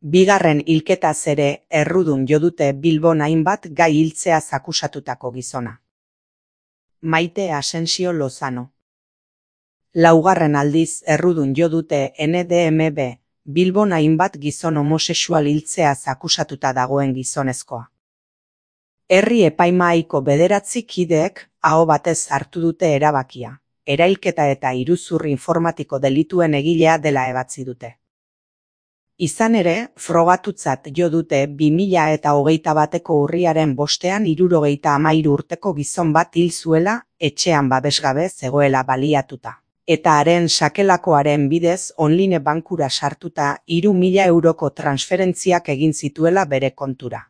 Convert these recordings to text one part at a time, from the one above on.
Bigarren hilketaz ere errudun jo dute Bilbon hainbat gai hiltzeaz akusatutako gizona. Maite Asensio Lozano. Laugarren aldiz errudun jo dute NDMB Bilbon hainbat gizon homosexual hiltzeaz akusatuta dagoen gizonezkoa. Herri epaimahaiko 9 kideek aho batez hartu dute erabakia, erailketa eta iruzur informatiko delituen egilea dela ebatzi dute. Izan ere, frogatutzat jo dute 2021ko urriaren 5ean 73 urteko gizon bat hil zuela etxean babesgabe zegoela baliatuta. Eta haren sakelakoaren bidez online bankura sartuta 3.000 euroko transferentziak egin zituela bere kontura.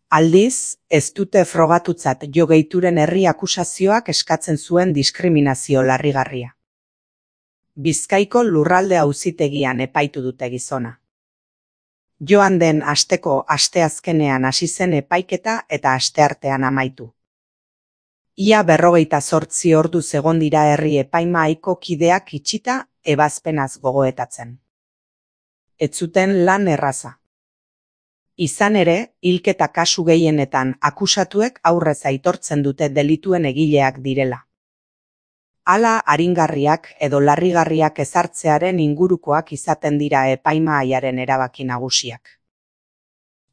Aldiz, ez dute frogatutzat jo gehituren herri akusazioak eskatzen zuen diskriminazio larrigarria. Bizkaiko lurralde auzitegian epaitu dute gizona. Joan den asteko asteazkenean hasi zen epaiketa eta asteartean amaitu. Ia 48 orduz egon dira herri epaimahaiko kideak itxita ebazpenaz gogoetatzen. Ez zuten lan erraza. Izan ere, hilketa kasu gehienetan akusatuek aurrez aitortzen dute delituen egileak direla. Hala aringarriak edo larrigarriak ezartzearen ingurukoak izaten dira epaimahaiaren erabaki nagusiak.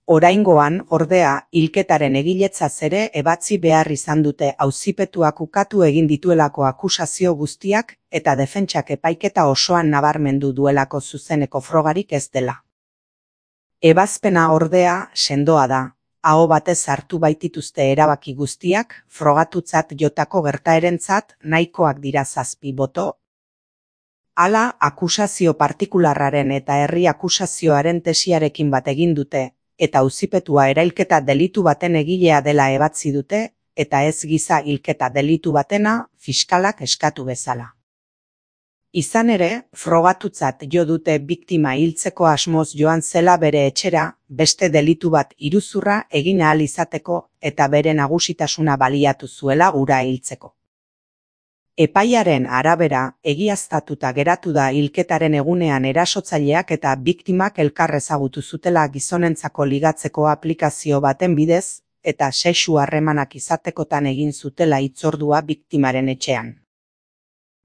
Oraingoan, ordea, hilketaren egiletzaz ere ebatzi behar izan dute auzipetuak ukatu egin dituelako akusazio guztiak eta defentsak epaiketa osoan nabarmendu duelako zuzeneko frogarik ez dela. Ebazpena ordea sendoa da, aho batez hartu baitituzte erabaki guztiak frogatutzat jotako gertaerentzat nahikoak dira 7 boto. Hala, akusazio partikularraren eta herri akusazioaren tesiarekin bat egin dute, eta auzipetua erailketa delitu baten egilea dela ebatzi dute, eta ez giza hilketa delitu batena fiskalak eskatu bezala. Izan ere, frogatutzat jo dute biktima hiltzeko asmoz joan zela bere etxera, beste delitu bat iruzurra egin ahal izateko eta bere nagusitasuna baliatu zuela hura hiltzeko. Epaiaren arabera, egiaztatuta geratu da hilketaren egunean erasotzaileak eta biktimak elkar ezagutu zutela gizonentzako ligatzeko aplikazio baten bidez, eta sexu harremanak izatekotan egin zutela hitzordua biktimaren etxean.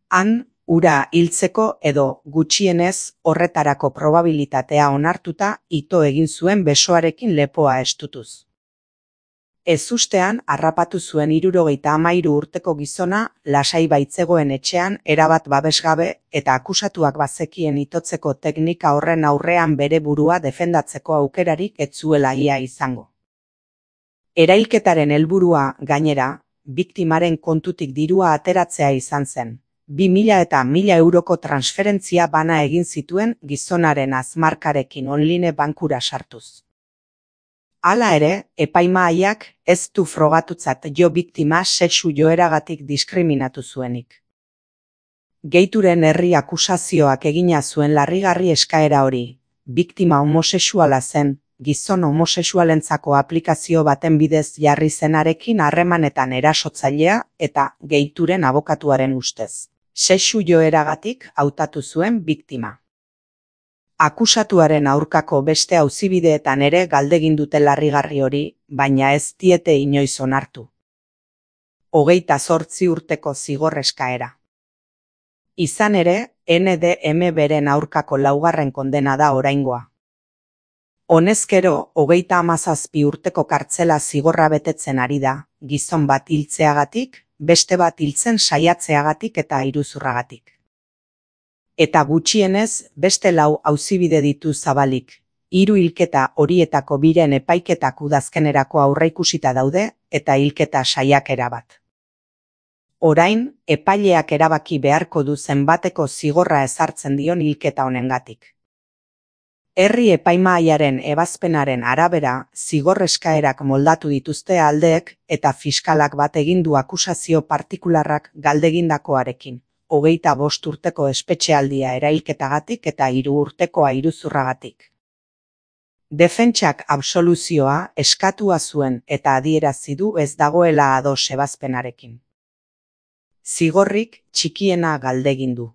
Han, hura hiltzeko edo gutxienez horretarako probabilitatea onartuta ito egin zuen besoarekin lepoa estutuz. Ezustean harrapatu zuen 73 urteko gizona lasai baitzegoen etxean erabat babesgabe eta akusatuak bazekien itotzeko teknika horren aurrean bere burua defendatzeko aukerarik ez zuela ia izango. Erailketaren helburua, gainera, biktimaren kontutik dirua ateratzea izan zen. 2.000 eta 1.000 euroko transferentzia bana egin zituen gizonaren azmarkarekin online bankura sartuz. Hala ere, epaimahaiak ez du frogatutzat jo biktima sexu joeragatik diskriminatu zuenik. Gehituren herri akusazioak egina zuen larrigarri eskaera hori, biktima homosexuala zen, gizon homosexualentzako aplikazio baten bidez jarri zenarekin harremanetan erasotzailea eta gehituren abokatuaren ustez. Sexu joeragatik hautatu zuen biktima. Akusatuaren aurkako beste auzibideetan ere galdegin dute larrigarri hori, baina ez diete inoiz onartu. 28 urteko zigor eskaera. Izan ere, NDMBren aurkako 4. kondena da oraingoa. Honezkero, 37 urteko kartzela zigorra betetzen ari da, gizon bat hiltzeagatik, beste bat hiltzen saiatzeagatik eta iruzurragatik. Eta gutxienez, beste 4 auzibide ditu zabalik. 3 hilketa horietako 2 epaiketak udazkenerako aurreikusita daude eta hilketa saiakera bat. Orain, epaileak erabaki beharko du zenbateko zigorra ezartzen dion hilketa honengatik. Herri epaimahaiaren ebazpenaren arabera, zigor eskaerak moldatu dituzte aldeek eta fiskalak bat egin du akusazio partikularrak galdegindakoarekin. 25 urteko espetxealdia erailketagatik eta 3 urtekoa iruzurragatik. Defentsak absoluzioa eskatua zuen eta adierazi du ez dagoela ados ebazpenarekin. Zigorrik txikiena galdegin du.